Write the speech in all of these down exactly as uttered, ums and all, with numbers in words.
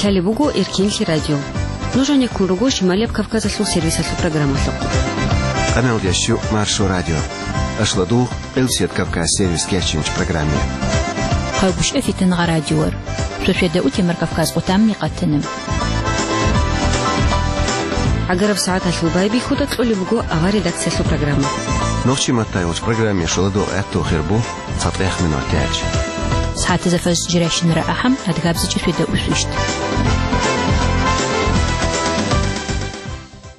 Лъалеб буго Эркинлъи радио. Нуж гьанеккун руго Шималияб Кавказалъул сервисалъул программалъухъ. Къаналда щу Маршо радио. Ашладугъ Къилсият Кавказ сервис кечинч программе. Хъавгушев Фитнагъа радиор. Шошеда утемар Кавказ къутамни къатана. Агараб сагӀаталъул байбихьуда кьолеб буго авар редакциялъул программа. Нохчи маттай уч программе шоладо гӀатту хирбу. ЦатӀех минутач. СагӀатазда фаз жирайщинара ахӀам, адгабзичӀеб сведа усвищ.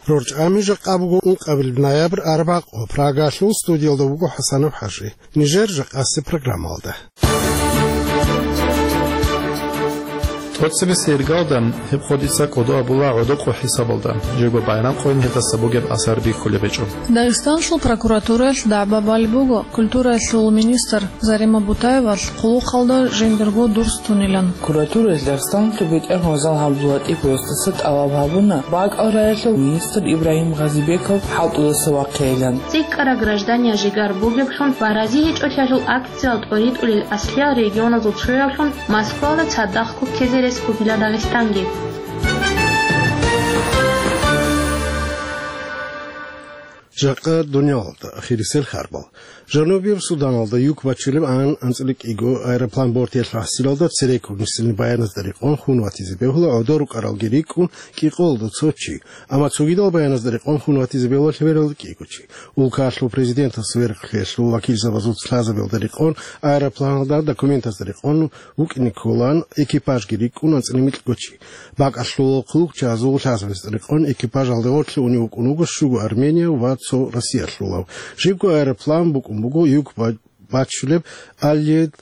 Рорчами жакъа буго ункъабил ноябрь арбакъо, Прагалъул студиялда вуго ХӀасанов ХӀажи. Нижер жакъаси программалда. ТӀоцебесеб иргалда гьеб къо дица кӀодо абула гӀодокъо хӀисабалда, жего байрам къойин гьелдаса бугеб асар бихьулеб гьечӀо. Дагъистаналъул прокуратураялъ дагӀба балеб буго культураялъул министр Зарима Бутаевалъ хъулухъалда жиндирго дурс тунилан. Прокуратураялъ Дагъистаналъул БетӀергьан Гъазал ГӀабдуллатӀиповасдаса тӀалаб гьабуна бакӀал раялъул министр Ибрагьим Гъазибеков хӀалтӀудаса вахъейилан. ЦӀикӀкӀараб гражданин жигар бугеблъун ва рази гьечӀолъиялъул акциял тӀоритӀулел аслиял регионазул чуялъун Москвалда цадахъго ккезе рес бугила Дагъистанги. Жакъа дуниялалда ахирисел харбал. Жанубияб Суданалда юк бачулеб ан анцӀила кӀиго аэроплан бортиялъул гӀасилалда цереккун рисилин баяназда рекъон хун ватизе бегьула гӀодор рукӀаралги рикӀкӀун кӀикъоялда цо чи, амма цогидал баяназда рекъон хун ватизе бегьула лъебералда кӀиго чи. Улкалъул президентас верхлъиялъул вакилзабазул лъазабиялда рекъон, аэропланалда документазда рекъон вукӀине кколаан, экипажги рикӀкӀун анцӀила микьго чи. БакӀалъул хъулухъчагьазул лъазабазда рекъон экипажалда гъорлъе унев вукӀун вуго щуго Армения ва цо Россиялъулав. Жибго аэроплан букӀун буго юк ба-, бачулеб Аллиед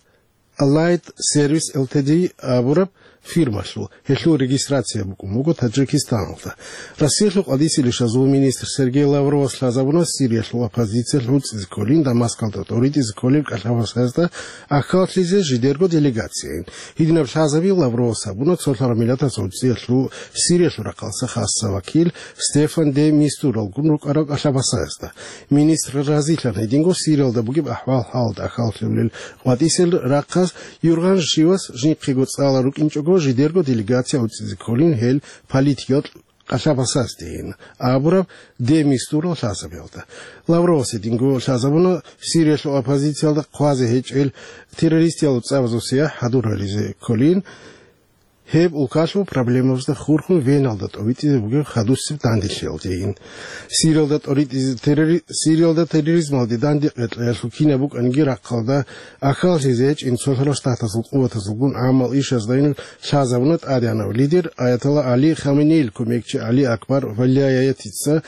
Аллайт Сервис Л Т Д абураб фирмалъул, гьелъул регистрация букӀун буго Таджикистаналда. Россиялъул къватӀисел ишазул министр Сергей Лавровас лъазабуна Сириялъул оппозициялъ гӀуцӀизе кколин Дамаскалда тӀоритӀизе кколел кӀалъабасазда ахӀаллъизе жидерго делегацияйин. Гьединаб лъазаби Лавровас гьабуна цолъараб миллатаз гӀуцӀиялъул Сириялъул рахъалъа хасса вакил Стефан де Мистуралгун рукӀарал кӀалъабасазда. Министр разилъана гьединго Сириялда бугеб ахӀвал-хӀалалда ахӀаллъулел къватӀисел рахъаз, юргъан-щивас жинхъего цӀалал рукӀинчӀого жидерго делегация гӀуцӀизе кколин гьел политикиял кӀалъабасаздейин абураб де Мистурал лъазабиялда. Лавровас гьединго лъазабуна Сириялъул оппозициялда хъвазе гьечӀел террористиял цӀабазул сияхӀ хӀадурализе кколин, гьеб улкалъул проблемабазда хурхун Веналда тӀовитӀизе бугеб хадусеб данделъиялдейин. Сириялда тӀоритӀизе террори-, Сириялда терроризмалде данде къетӀлъиялъул кинаб букӀаниги рахъалда ахӀаллъизе гьечӀин цолъарал штатазул къуватазулгун гӀамал ишаздайин лъазабуна тӀадегӀанав лидер Аятолла Али Хаменеил кумекчи Али Акбар Валлаятица,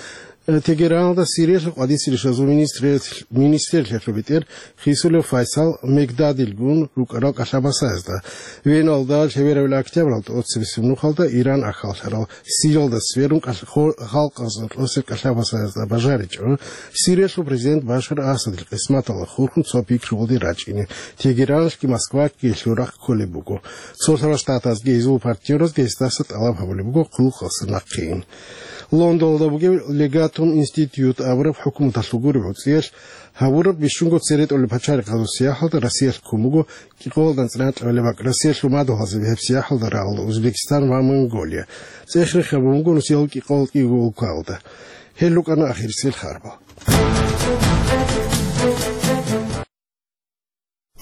Тегераналда Сириялъул къватӀисел ишазул министрияс-, министрлъиялъул бетӀер Хисулев Файсал Мегдадилгун рукӀарал кӀалъабасаязда. Веналда лъеберабил октябралда тӀоцебесеб нухалда Иран ахӀаллъарал Сириялда сверун кӀал-, хо-, халкъазда тӀоцеб кӀалъабасаязда бажаричӀо Сириялъул президент Башар Асадил къисматалда хурхун цо пикру гъоди рачӀине. Тегераналъги Москваялъги гьелъул рахъ кколеб буго. Цолъарал штатазги гьезул партнёразги гьесдаса тӀалаб гьабулеб буго хъулухъалъа нахъейин. Лондоналда бугеб Легатум институт абураб хӀукуматалъул гуреб гӀуцӀиялъ гьабураб бищунго цере тӀолеб пачарихъазул сияхӀалда Россиялъ ккун буго кӀикъоялда анцӀила анкьабилеб бакӀ. Россиялъул мадугьалзаби гьеб сияхӀалда рагъула Узбекистан ва Монголия. ЦӀех-рех гьабун буго нусиялъул кӀикъоялда кӀиго улкалда. Гьел рукӀана ахирисел харбал.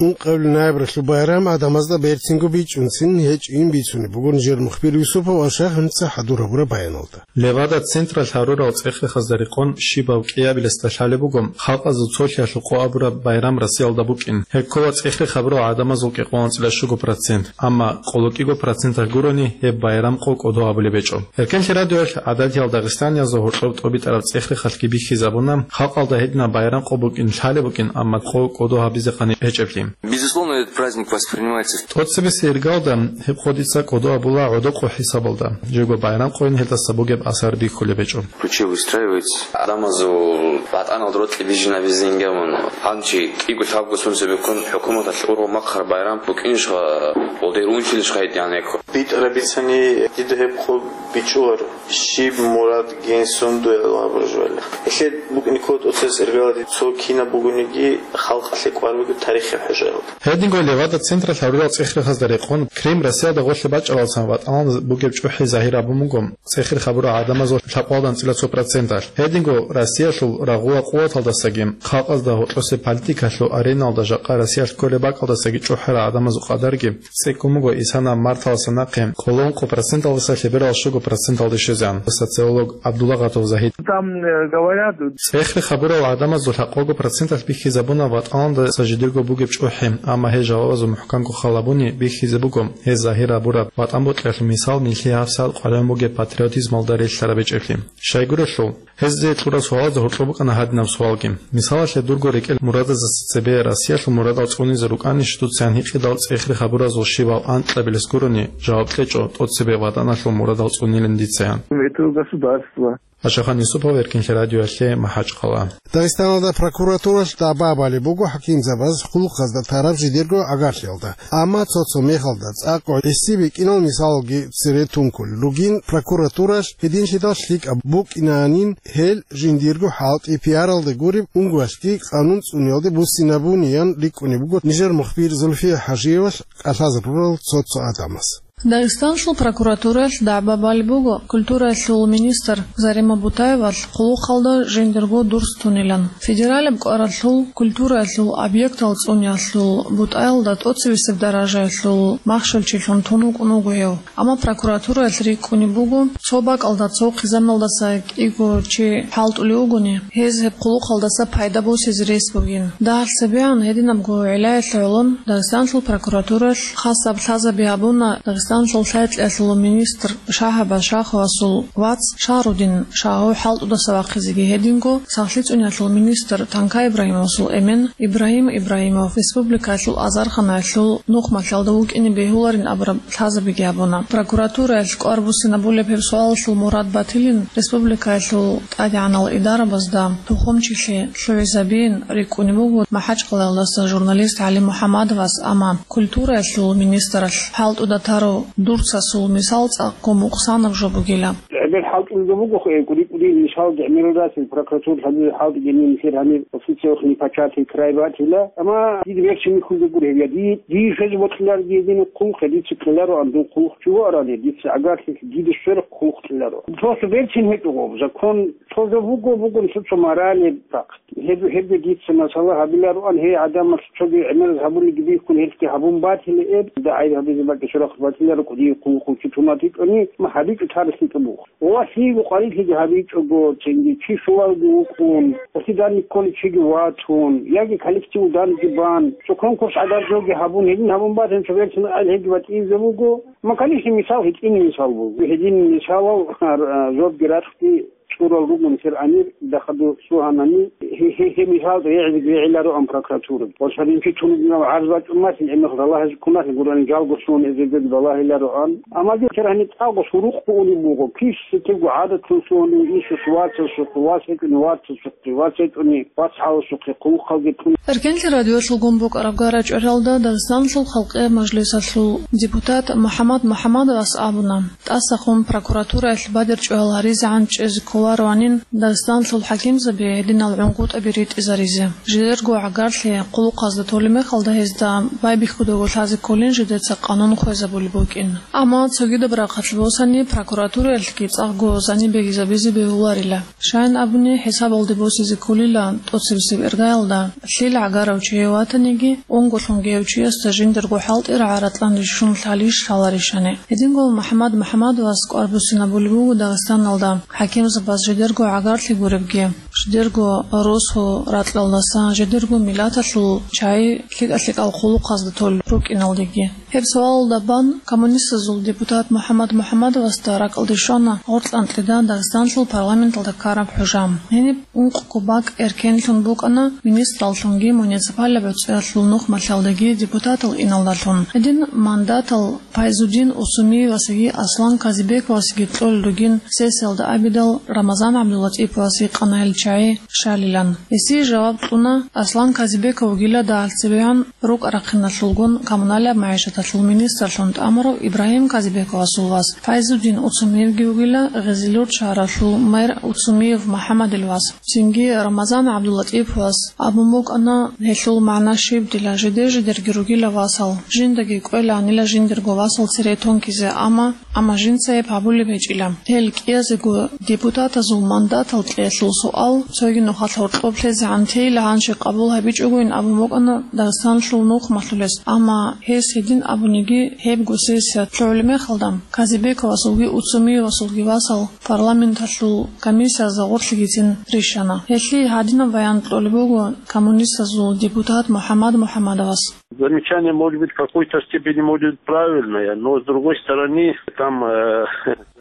Ункъабил ноябралъул байрам гӀадамазда берцинго бичӀчӀунцин гьечӀин бицунеб буго нижер мухбир Юсупов Ашагь гьанца хӀадур гьабураб баяналда. Левада централъ гьарурал цӀех-рехазда рекъон щибаб кӀиабилесда лъалеб буго халкъазул цолъиялъул къо абураб байрам Россиялда букӀин. Гьеб ккола цӀех-рех гьабурал гӀадамазул кӀикъоялда анцӀила щуго процент, амма къоло кӀиго проценталъ гурони гьеб байрам къо кӀодо гьабулеб гьечӀо. Эркенлъи радиоялъ гӀадатиял дагъистаниязда гьоркьоб тӀобитӀараб цӀех-рехалъги бихьизабуна, халкъалда гьединаб байрам къо букӀин лъалеб букӀин, амма къо кӀодо гьабизе къани гьечӀеблъи. Безусловно, этот праздник воспринимается в... ТӀоцебесеб иргалда гьеб къо дица кӀодо абула гӀодокъо хӀисабалда, жего байрам къойин гьелдаса бугеб асар бихьулеб гьечӀо. Ключи выстраивается. Адамазул батӀаналда рокьи бижинабизе ингамун. Гьанчи кӀиго-лъабго сунцебеккун хӀукуматалъ ургъу махъар байрам букӀинищха, гъодер унчилищха гьедигӀан гьекъо. БитӀараб бицани, дида гьеб къо бичӀчӀуларо. Щиб мурад гьенсон дуе абуржугьали. Гьелъе букӀине ккола тӀоцебесеб иргалади цо кинаб бугониги халкъалъе кӀвар бугеб тарихи хӀуж. Гьединго Левада централъ гьарурал цӀехрехазда рекъон, Крым Россиялда гъорлъе бачӀаралдасан ВатӀаналда бугеб чӀухӀи загьир гьабун буго цӀехрехъ гьабурал гӀадамазул лъабкъоялда анцӀила цо проценталъ. Гьединго Россиялъул рагъула къуваталдасаги, халкъазда гьоркьосеб политикалъул ареналда жакъа Россиялъ кколеб бакӀалдасаги чӀухӀарал гӀадамазул къадарги цӀикӀкӀун буго исана марталдаса нахъе къоло ункъо проценталдаса лъеберал щуго проценталде щвезегӀан. Социолог Абдуллагъатов Загьид. Там, э, говорят, цӀехрехъ гьабурал гӀадамазул лъабкъого проценталъ бихьизабуна ВатӀаналдаса жидерго бугеб чӀухӀи, амма гьез жавабазул мухӀканго хал гьабуни бихьизе буго гьез загьир гьабураб ВатӀан бокьиялъул мисал нилъее гьабсагӀат къваригӀун бугеб патриотизмалда релълъараб гьечӀеблъи. Щайгурелъул, гьезие кьураб суалазда гьоркьоб букӀана гьадинаб суалги. Мисалалъе, дурго рекӀел мурадазда цебе Россиялъул мурадал цӀунизе рукӀанищ дуца гьикъидал цӀехрехъ гьабуразул щибал анкьабилес гурони жаваб кьечӀо, тӀоцебе ВатӀаналъул мурадал цӀунилин дицаян. Это государство. Ашахан Юсупов, Эркинлъи радиоялъе, МахӀачкъала. Дагъистаналда прокуратуралъ дагӀба балеб буго хӀакимзабаз хъулухъазда тараб жидерго гӀагарлъиялда. Амма цо-цо мехалда цӀакъго гӀиси бикӀинал мисалалги цере тункулел ругин, прокуратуралъ гьединлъидал лъикӀаб букӀинанин гьел жиндирго хӀалтӀи пиаралда гуреб унгоялъги къанун цӀуниялде буссинабуниян рикӀкӀунеб буго нижер мухбир Зульфия ХӀажиевалъ кӀалъазе рурал цо-цо гӀадамаз. Дагъистанлъул прокуратураялъ дагӀба балеб буго культураялъул министр Зарема Бутаевалъ хъулухъалда жиндирго дурс тунилан. Федералаб кӀваралъул культураялъул объектал цӀуниялъул бутӀаялда тӀоцебесеб даражаялъул махщелчилъун тун вукӀун вуго гьев. Амма прокуратураялъ рикӀкӀунеб буго, цо бакӀалда цо хъизаналдаса кӀиго чи хӀалтӀулев вугони, гьез гьеб хъулухъалдаса пайда босизе рес бугин. Дагьалъ цебегӀан гьединабго гӀиллаялъ гӀолон Дагъистанлъул прокуратураялъ хасаб лъазаби гьабуна Дагъистанлъул лъай-кьеялъул министр Шагьабаз Шаховасул вац Шагьрудин Шагьов хӀалтӀудаса вахъизеги, гьединго сахлъи цӀуниялъул министр Танкай Ибрагьимовасул эмен Ибрагьим Ибрагьимов республикаялъул азарханаялъул нухмалъалда вукӀине бегьуларин абураб лъазабиги гьабуна. Прокуратураялъ кӀвар буссинабулеб гьеб суалалъул мурад батилин республикаялъул тӀадегӀанал идарабазда тухумчилъи лъугӀизабиин рикӀкӀунеб буго МахӀачкъалаялдаса журналист ГӀали МухӀамадовас, амма культураялъул министралъ хӀалтӀуда тарав дурцасул мисал цӀакъго мукъсанаб жо бугила. ГӀемер хӀалтӀулги буго, э, кӀури-кӀури мисалги гӀемерал расел прокуратура гьабизе хӀалтӀиги нилъер гьанир официалухъ непочатый край батила. Амма дида берцин михьулги гуро гьеб, я ди-, дие хвезе бокьиларги гьедин хъулухъ, я дица кьелароан дун хъулухъ чи вуарали, дица гӀагарлъи дида сверухъ хъулухъ кьеларо. Просто берцин гьечӀого закон, цо жо буго, бугони цо-цо морали факт. Гьеб-, гьебги дица масала гьабилароан, гьей гӀадамалъ цоги гӀемераз гьабулеги бихьун, гьелъги гьабун батила эб, дида гӀайиб гьабизе бакӀи сверухъ батиларо, кӀудияб хъулухъ чи тун батичӀони, ма гьабичӀо тарихлъи тӀубух. Ва лъиего къварилъиги гьабичӀого, цинги чи щулалги вукӀун, гьелъи данде кколев чиги ватун, яги коллектив данде бан, цо конкурс гӀадаржоги гьабун, гьедин гьабун батани, цо берцин гьелги батӀияб жо буго. Ма, конечно, мисал гьитӀинаб мисал буго. Гьедин мисалал, а, жобги ракьги цӀурал ругон нилъер амир, дахъаду сугьанани, гье-, гье-, гьеб мисал регӀизе регӀилароан прокуратура. Ва цадинчи туниб гӀарз бачӀун малъи, гӀемер балагьизе ккун малъи, гурони жалго лъугьун эзегеги балагьилароан. Амма гьеб гьаниб тӀагъо сурухъ бугулеб буго, кис лъикӀабго гӀадатлъун лъугьунев инсус вацасухъе, вац гьечӀони вацасухъе, вац гьечӀони вацгӀаласухъе, хъулухъалги тун. Эркенлъи радиолъулгун букӀараб гара-чӀваралда Дагъистанлъул Халкъияб Мажлисалъул депутат МухӀаммад МухӀаммадовас абуна, тӀасахъун прокуратураялъ бадер чӀвал гьаризегӀан чӀезе кколароанин Дагъистанлъул хӀакимзаби гьединал гӀунгутӀаби ритӀизаризе. Жидерго гӀагарлъи хъулухъазда толеб мехалда гьезда байбихьудаго лъазе кколин жидеца къанун хвезабулеб букӀин. Амма цогидаб рахъалъ босани прокуратураялъги цӀакъго заниб бегизабизе бегьуларила. Щайин абуни, хӀисабалде босизе кколила тӀоцебесеб иргаялда, лъил гӀагарав чияв ватаниги, унголъунги гьев чиясда жиндирго хӀалтӀи рагӀаратлъан рищун лъалищ лъаларищани. Гьединго МухӀаммад МухӀаммадовас кӀвар буссинабулеб буго Дагъистаналда хӀакимзабаз жидерго гӀагарлъи гуребги, жидерго росу ракьалдаса, жидерго миллаталъул чагӀи лъикӀа-лъикӀал хъулухъазда толел рукӀиналдеги. Гьеб суалалда бан коммунистазул депутат МухӀаммад МухӀаммадовасда ракӀалде щвана гъоркь анкьида Дагъистанлъул парламенталда ккараб хӀужа. Гьениб ункъго бакӀ эркенлъун букӀана министраллъунги муниципалаб гӀуцӀиялъул нухмалъалдаги депутатал иналдалъун. Гьедин мандатал Пайзудин Усумиевасги Аслан Казибековасги кьолел ругин сессиялда абидал Рамазан ГӀабдуллатӀиповас гьикъана гьел чагӀи щалилан. Гьесие жаваб кьуна, Аслан Казибеков вугила дагьалъ цебегӀан рукӀа-рахъиналъулгун коммуналияб магӀишаталъ Министрлъун тӀамурав Ибрагьим Казибековасул вас Файзуддин Уцумиевги вугила, Гъизилюрт шагьаралъул мэр Уцумиев МухӀаммадил вас. Цинги Рамазан ГӀабдуллатӀиповас абун букӀана, гьелъул магӀна щиб дила жидер-жидерги ругила васал, жиндаги кӀвеланила жиндирго васал цере тункизе, амма, амма жинца гьеб гьабулеб гьечӀила. Гьел кӀиязего депутатазул мандатал кьеялъул суал цоги нухалъ гьоркьоб лъезегӀан тейила гьанже къабул гьабичӀогойин абун букӀана Дагъистаналъул нухмалъулес, амма гьес гьедин абуниги, гьебго сессия лъугӀулеб мехалда Казибековасулги Уцумиевасулги васал парламенталъул комиссиязда гъорлъигицин рищана. Гьелъие гьадинаб баян кьолеб буго коммунистазул депутат МухӀаммад МухӀаммадовас. Замечание, может быть, в какой-то степени, может быть, правильное, но с другой стороны, там, э,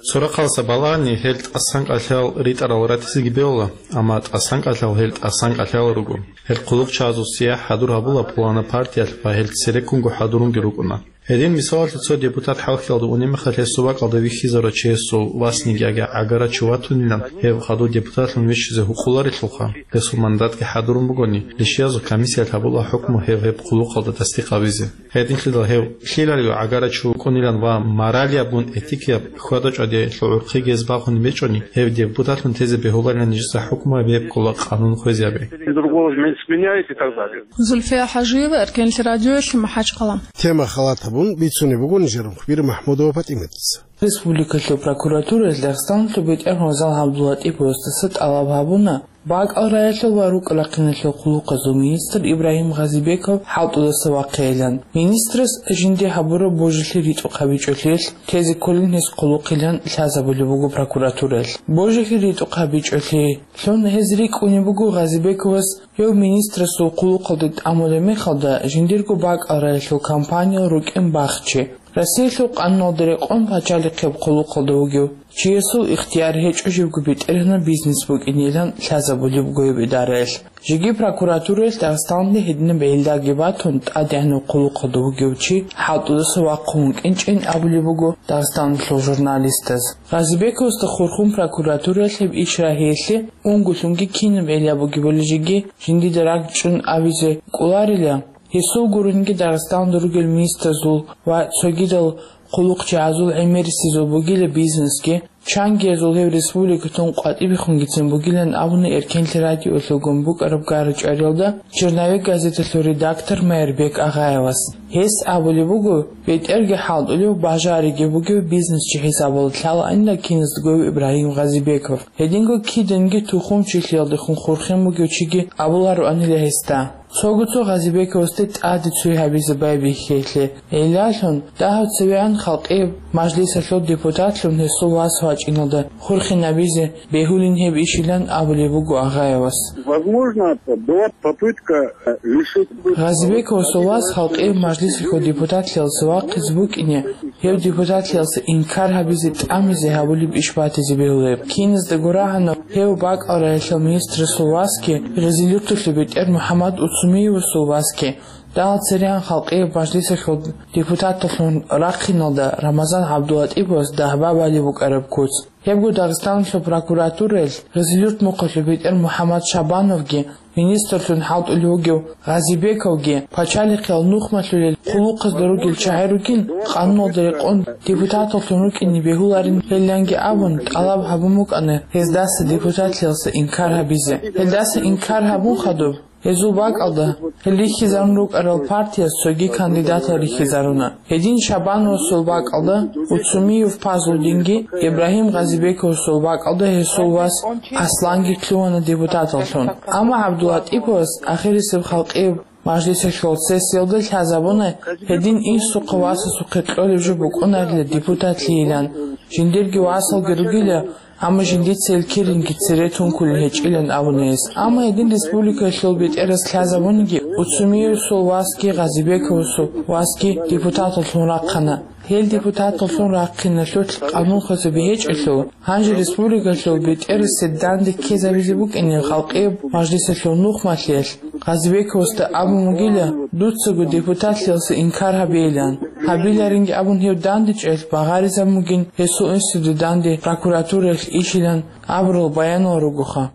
Цо рахъалдаса балагьани, гьел тӀасан кӀалъал ритӀарал ратизеги бегьула, амма тӀасан кӀалъал гьел тӀасан кӀалъал руго. Гьел хъулухъчагӀазул сияхӀ хӀадур гьабула пулана партиялъ ва гьел цереккунго хӀадурунги рукӀуна. Гьедин, мисалалъе, цо депутат хӀалхьиялда унеб мехалъ гьесул бакӀалда вихьизарав чиясул васниги яги гӀагарав чи ватунилан, гьев хадув депутатлъун виччизе гьукъуларелъулха, гьесул мандатги хӀадурун бугони, лишиязул комиссиялъ гьабула хӀукму гьев гьеб хъулухъалда тасдикъ гьабизе. Гьединлъидал гьев лъилалиго гӀагарав чи вукӀунилан ва моралияб бун этикияб хьвада-чӀвадиялъул гӀурхъиги гьез бахунеб гьечӀони, гьев депутатлъун тезе бегьуларилан нижеца хӀукму гьабизе ккола къанун хвезабе. Другого не сменяет и так далее. Зульфия ХӀажиева, Эркенлъи радиоялъе, МахӀачхъала. Тема халат гьабун бицунеб буго нижер мухбир МахӀмудова ПатӀиматица. Республикалъул прокуратураялъ Дагъистаналъул бетӀергьан Рамазан ГӀабдуллатӀиповасдаса тӀалаб гьабуна, бакӀал раялъул ва рукӀ рахъиналъул хъулухъазул министр Ибрагьим Гъазибеков хӀалтӀудаса вахъейилан. Министрас жинде гьабураб божилъи ритӀухъ гьабичӀолъиялъ тезе кколин гьес хъулухъилан лъазабулеб буго прокуратураялъ. Божилъи ритӀухъ гьабичӀолъилъун гьез рикӀкӀунеб буго Гъазибековас гьев министрасул хъулухъалде тӀамулеб мехалда жиндирго бакӀал раялъул компаниял рукӀин бахчи. Россиялъул къануналда рекъон пачалихъеб хъулухъалда вугев чиясул ихтияр гьечӀо живго бетӀергьанаб бизнес букӀинилан лъазабулеб буго гьеб идараялъ. Жеги прокуратураялъ Дагъистаналде гьединаб гӀиллаги батун, тӀадегӀанаб хъулухъалда вугев чи хӀалтӀудаса вахъун вукӀинчӀин абулеб буго Дагъистаналъул журналистаз. Гъазибековасда хурхун прокуратураялъ гьеб иш рагьиялъе унгулъунги кинаб гӀилла бугебали жеги жиндида ракӀчӀун абизе кӀоларила. Гьесул гуринги Дагъистаналда ругел министрзул ва цогидал хъулухъчагӀазул гӀемерисезул бугила бизнесги, чангиязул гьев республикатун къватӀибехунгицин бугилан абуна Эркенлъи радиоялъулгун букӀараб гара-чӀвариялда «Черновик» газеталъул редактор Майрбек Агъаевас. Гьес абулеб буго, бетӀерги хӀалтӀулев, бажариги бугев бизнесчи хӀисабалда лъалаанила киназдаго Ибрагьим Гъазибеков. Гьединго киданги тухумчилъиялдехун хурхин бугев чиги абулароанила гьесда. Цого-цо Гъазибековасде тӀаде цой гьабизе байбихьейлъе гӀиллалъун, дагьав цевегӀан халкъияб мажлисалъул депутатлъун гьесул вас вачӀиналда хурхинабизе бегьулин гьеб ишилан абулеб буго Агъаевас. Возможно, это была попытка, э, лишить... Гъазибековасул вас халкъияб мажлисалъул депутатлъиялдаса вахъизе букӀине, гьев депутатлъиялдаса инкар гьабизе тӀамизе гьабулеб иш батизе бегьулеб. Киназдаго рагӀана гьев бакӀал раялъул министрасул васги, Гъизилюрталъул бетӀер МухӀаммад Уцумиевасул васги, дагьал церегӀан халкъияб мажлисалъул депутаталлъун рахъиналда Рамазан ГӀабдуллатӀиповас дагьба балеб букӀараб куц. Гьебго Дагъистаналъул прокуратураялъ Гъизилюрт мухъалъул бетӀер МухӀаммад Шабановги, министрлъун хӀалтӀулев вугев Гъазибековги пачалихъиял нухмалъулел хъулухъазда ругел чагӀи ругин, къануналда рекъон депутаталлъун рукӀине бегьуларин гьеллъанги абун тӀалаб гьабун букӀана гьездаса депутатлъиялдаса инкар гьабизе. Гьелдаса инкар гьабун хадуб, гьезул бакӀалда гьел рихьизарун рукӀарал партияс цоги кандидатал рихьизаруна. Гьедин Шабановасул бакӀалда Уцумиев Пазлудинги, Ибрагьим Гъазибековасул бакӀалда гьесул вас Асланги лъугьана депутаталлъун. Амма ГӀабдуллатӀиповас ахирисеб халкъияб мажлисалъул сессиялда лъазабуна, гьедин инсухъе васасухъе кьолеб жо букӀунарила депутатлъийилан, жиндирги васалги ругила, амма жиндица гьел киринги цере тункулел гьечӀилан абуна гьес. Амма гьедин республикалъул бетӀерас лъазабуниги, Уцумиевасул васги Гъазибековасул васги депутаталлъун рахъана. Гьел депутаталлъун рахъиналъулъ къанун хвезаби гьечӀелъул, гьанже республикалъул бетӀерасде данде ккезабизе букӀине халкъияб мажлисалъул нухмалъиялъ Гъазибековасда абун бугила, дуцаго депутатлъиялдаса инкар гьабейилан. Гьабиларинги абун гьев дандечӀелъ багъаризабун бугин гьесул инсуда данде прокуратураялъ ишилан абурал баянал ругоха.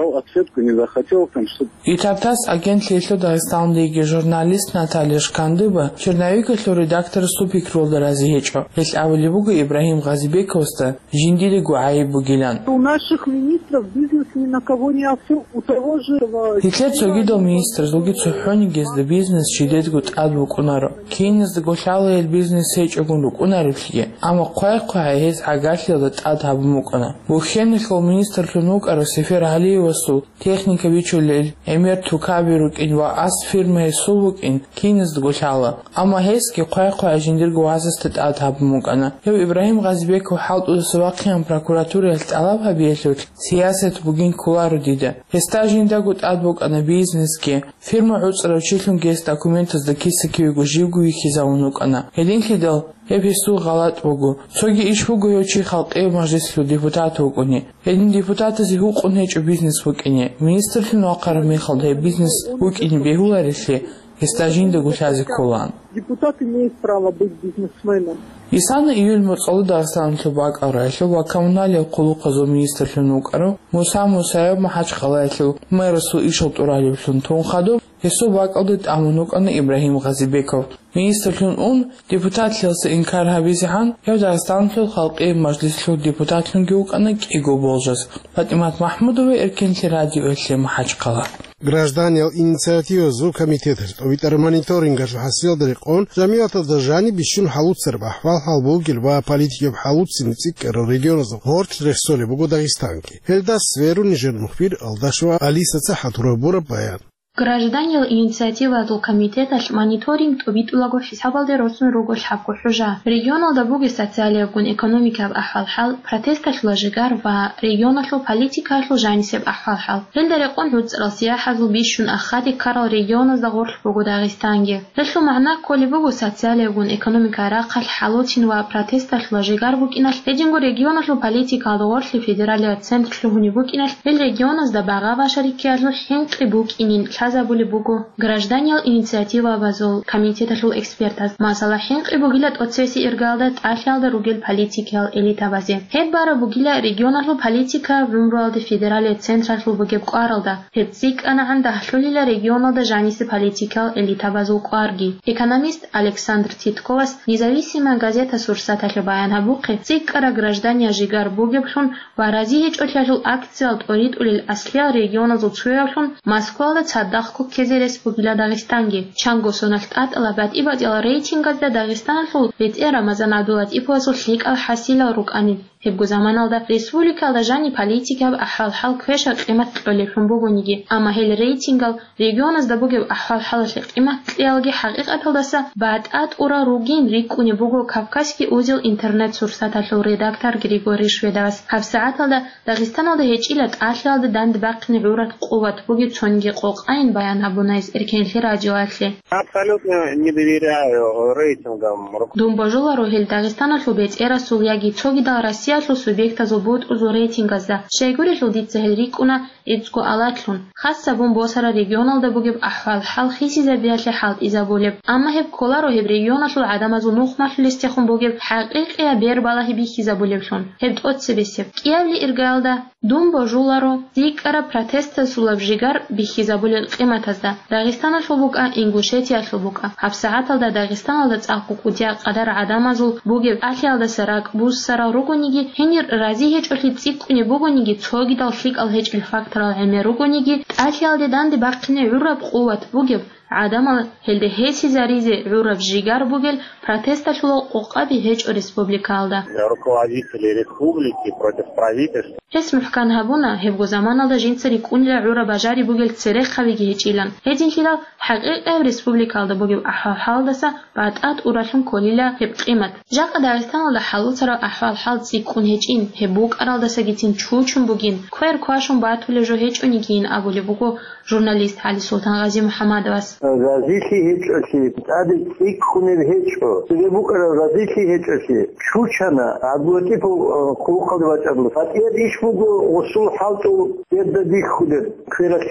Дал ответку не захотел, там, чтобы Итартас агентлъиялъул Дагъистаналдеги журналист Наталья Шкандыба черновикалъул редакторасул пикрулда рази гьечӀо. Гьелъ абулеб буго Ибрагьим Гъазибековасда жиндиего гӀайиб бугилан. У наших министров бизнес ни на кого не оформлен. У того же, э, Гьелъ цогидал министрзулги цохӀониги гьезда бизнес жидедго тӀад букӀунаро. Киназдаго лъала гьел бизнес гьечӀогун рукӀунареблъиги, амма хъвай-хъвай гьез гӀагарлъиялда тӀад гьабун букӀана. Бухьеналъул министрлъун вукӀарав Сефер Гьалиевасул техника бичулел гӀемер тукаби рукӀин ва ас фирма гьесул букӀин киназдаго лъала, амма гьесги хъвай-хъвай жиндирго васасда тӀад гьабун букӀана. Гьев Ибрагьим Гъазибеков хӀалтӀудаса вахъинан прокуратураялъ тӀалаб гьабиялъулъ сиясат бугин кколаро дида. Гьесда жиндаго тӀад букӀана бизнесги, фирма гӀуцӀарав чилъунги гьес документазда киса-кивего живго вихьизавун вукӀана. Гьединлъидал гьеб гьесул гъалатӀ буго. Цоги иш буго гьев чи халкъияв мажлислъул депутат вукӀуни. Гьедин депутатазе гьукъун гьечӀо бизнес букӀине. Министрлъун вахъараб мехалда гьеб бизнес букӀине бегьуларелъи, гьесда жиндаго лъазе кколаан. Депутат имеет право быть бизнесменом. Исана июль моцӀалда Дагъистаналъул бакӀал рагӀилъул ва коммуналил хъулухъазул министрлъун вукӀарав Муса Мусаев МахӀачхъалаялъул мэрасул ишал тӀуралевлъун тун хадуб, гьесул бакӀалда тӀамун вукӀана Ибрагьим Гъазибеков. Министрлъун ун, депутатлъиялса инкар гьабизегӀан, гьев Дагъистаналъул халкъияв мажлислъул депутатлъунги вукӀана кӀиго болжас. ПатӀимат МахӀмудова, Эркенлъи радиоялъе, МахӀачхъала. Гражданиял инициативазул комитеталъ тӀобитӀараб мониторингалъул хӀасилалда рекъон, жамигӀаталда жаниб бищун хӀалуцараб ахӀвал-хӀал бугел ва политикияб хӀалуцин цӀикӀкӀарал регионазда гъорлъ рехсолеб буго Дагъистанги. Гьелда сверун нижер мухбир Алдашева Алисаца хӀатур гьабураб баян. Гражданиял инициативазул комитеталъ мониторинг тӀубитӀулаго хӀисабалде росун руго лъабго хӀужа. Регионалда бугеб социалиябгун экономикаяб ахӀвал-хӀал, протесталъула жигар ва регионалъул политикаялъул жанисеб ахӀвал-хӀал. Гьелда рекъон гӀуцӀрал сияхӀазул бищун ахаде ккарал регионазда гъорлъ буго Дагъистанги. Гьелъул магӀна кколеб буго социалиябгун экономикаялъул рахъалъ хӀалуцин ва протесталъула жигар букӀиналъ, гьединго регионалъул политикаялда гъорлъ федералияб центр лъугьунеб букӀиналъ, гьел регионазда багъа-башариккиялъул хӀинкъи букӀинин лъазабулеб буго гражданиял инициативабазул комитеталъул экспертаз. Масала, хӀинкъи бугила тӀоцебесеб иргаялда тӀалъиялда ругел политикиял элитабазе. Гьеб бараб бугила регионалъул политика гӀумруялде федералияб централъул бугеб кӀваралда. Гьеб цӀикӀкӀанагӀан дагьлъулила регионалда жанисе политикиял элитабазул кӀварги. Экономист Александр Титковас «Независимая газета» сурсаталъе баян гьабухъе, цӀикӀкӀараб граждания жигар бугеблъун ва рази гьечӀолъиялъул акциял тӀоритӀулел аслиял регионазул цоявлъун Москвалда цадахъго ккезе рес бугила Дагъистанги. Чанго соналъ тӀатӀала батӀи-батӀиял рейтингазда Дагъистаналъул бетӀер Рамазан ГӀабдуллатӀиповасул лъикӀал хӀасилал рукӀани. Гьебго заманалда республикалда жаниб политикаб ахӀвал-хӀал квешаб-къимат кьолеблъун бугониги, амма гьел рейтингал регионазда бугеб ахӀвал-хӀалалъе къимат кьеялги хӀакъикъаталдаса батӀа тӀурал ругин рикӀкӀунеб буго «Кавказский узел» интернет-сурсаталъул редактор Григорий Шведовас. ГьабсагӀаталда Дагъистаналда гьечӀила тӀалъиялда данде бахъине гӀураб къуват бугеб цониги къокъайин баян гьабуна гьес Эркенлъи радиоялъе. Абсолютно не доверяю рейтингам. Дун божуларо гьел Дагъистаналъул бетӀерасул яги цогидал Россиялъул субъектазул бутӀрузул рейтингазда. Щайгурелъул дица гьел рикӀкӀуна гӀицӀго алатлъун, хас гьабун босарал регионалда бугеб ахӀвал-хӀал хисизабиялъе хӀалтӀизабулеб. Амма гьеб кколаро гьеб регионалъул гӀадамазул нухмалъулесдехун бугеб хӀакъикъияб бербалагьи бихьизабулеблъун. Гьеб тӀоцебесеб. КӀиабилеб иргаялда дун божуларо цӀикӀкӀараб протестасулаб жигар бихьизабулел къиматазда. Дагъистаналъул букӀа, Ингушетиялъул букӀа. ГьабсагӀаталда Дагъистаналда цӀакъго кӀудияб къадар гӀадамазул бугеб тӀалъиялдаса ракӀ буссарал ругониги, гьенир рази гьечӀолъи цӀикӀкӀунеб бугониги, цогидал лъикӀал гьечӀел факторал гӀемер ругониги, тӀалъиялде данде бахъине гӀураб къуват бугеб, гӀадамал гьелде гьесизаризе гӀураб жигар бугел протесталъула къокъаби гьечӀо республикаялда. Руководители республики против правительства. Гьес мухӀкан гьабуна, гьебго заманалда жинца рикӀкӀунила гӀураб бажари бугел церехъабиги гьечӀилан. Гьединлъидал хӀакъикъияб республикаялда бугеб ахӀвал-хӀалдаса батӀа тӀуралъун кколила гьеб къимат. Жакъа Дагъистаналда хӀалуцарал ахӀвал-хӀал цӀикӀкӀун гьечӀин, гьеб букӀаралдасагицин чучун бугин, квер квашун батулеб жо гьечӀонигийин абулеб буго журналист ГӀалисултан Гъазимухьаммадовас. Разилъи гьечӀолъи, тӀаде цӀикӀкӀунеб гьечӀо. Цебе букӀараб разилъи гьечӀолъи, чучана, ГӀабдуллатӀипов, э, хъулухъалде вачӀарала. ГьатӀияб иш буго гъусул хӀалтӀул гьебда бихьулеб квералъ.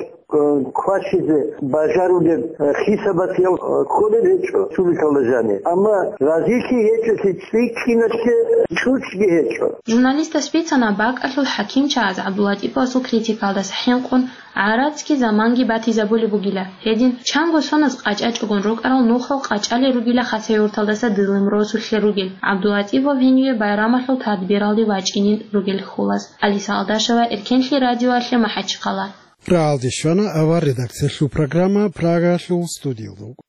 квачизе бажарулеб хисабатиял кколеб гьечӀо республикалда жаниб. Амма разилъи гьечӀолъи цӀикӀкӀиналъе чӀучӀги гьечӀо. Журналистас бицана бакӀалъул хӀакимчагӀаз ГӀабдулатӀиповасул критикалдаса хӀинкъун гӀарацги заманги батизабулеб бугила. Гьедин, чанго соназ къачӀачӀогун рукӀарал нухал къачӀалел ругила Хасавюрталдаса Дылим росулъе ругел, ГӀабдулатӀипов гьениве байрамалъул тадбиралде вачӀинин ругел хьулаз. Алиса Алдашева, Эркенлъи радиоялъе, МахӀачхъала. Рагьалде щвана авар редакциялъул программа Прагалъул студиялда.